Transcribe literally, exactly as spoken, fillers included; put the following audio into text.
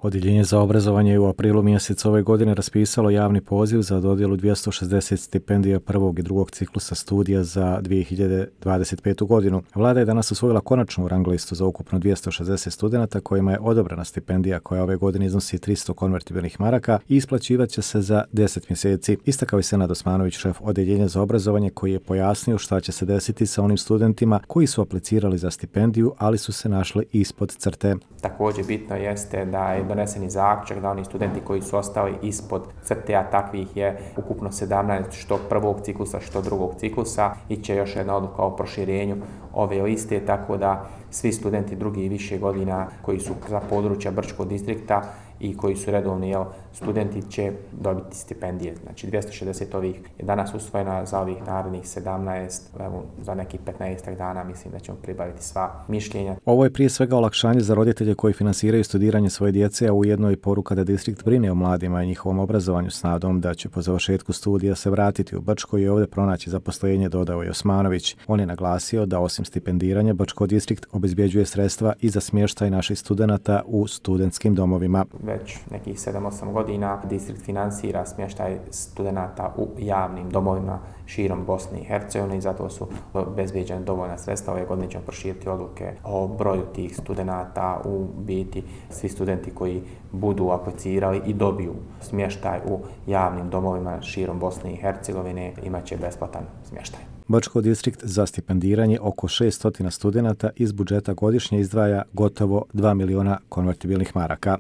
Odjeljenje za obrazovanje je u aprilu mjesecu ove godine raspisalo javni poziv za dodjelu dvjesto šezdeset stipendija prvog i drugog ciklusa studija za dvije hiljade dvadeset petu. godinu. Vlada je danas usvojila konačnu rang listu za ukupno dvjesto šezdeset studenata kojima je odobrena stipendija koja ove godine iznosi tristo konvertibilnih maraka i isplaćivat će se za deset mjeseci. Istakao je Senad Osmanović, šef Odjeljenja za obrazovanje, koji je pojasnio šta će se desiti sa onim studentima koji su aplicirali za stipendiju, ali su se našli ispod crte. Također bitno jeste da je doneseni zaključak da oni studenti koji su ostali ispod crte, a takvih je ukupno sedamnaest što prvog ciklusa što drugog ciklusa, iće još jedna odluka o proširenju ove liste, tako da svi studenti drugih i više godina koji su za područja Brčkog distrikta i koji su redovni jel, studenti će dobiti stipendije. Znači dvjesto šezdeset ovih je danas usvojena, za ovih narednih sedamnaest, evo, za nekih petnaest dana mislim da ćemo pribaviti sva mišljenja. Ovo je prije svega olakšanje za roditelje koji finansiraju studiranje svoje djece, a ujedno i poruka da distrikt brine o mladima i njihovom obrazovanju s nadom da će po završetku studija se vratiti u Brčko i ovdje pronaći zaposlenje, dodao je Osmanović. On je naglasio da osim stipendiranja Brčko distrikt obezbjeđuje sredstva i za smještaj naših studenata u studentskim domovima. Već nekih sedam osam godina distrikt finansira smještaj studenata u javnim domovima širom Bosne i Hercegovine i zato su obezbeđene dovoljna sredstva. Ove godine ćemo proširiti odluke o broju tih studenata. U biti svi studenti koji budu aplicirali i dobiju smještaj u javnim domovima širom Bosne i Hercegovine imat će besplatan smještaj. Brčko distrikt za stipendiranje oko šesto studenata iz budžeta godišnje izdvaja gotovo dva miliona konvertibilnih maraka.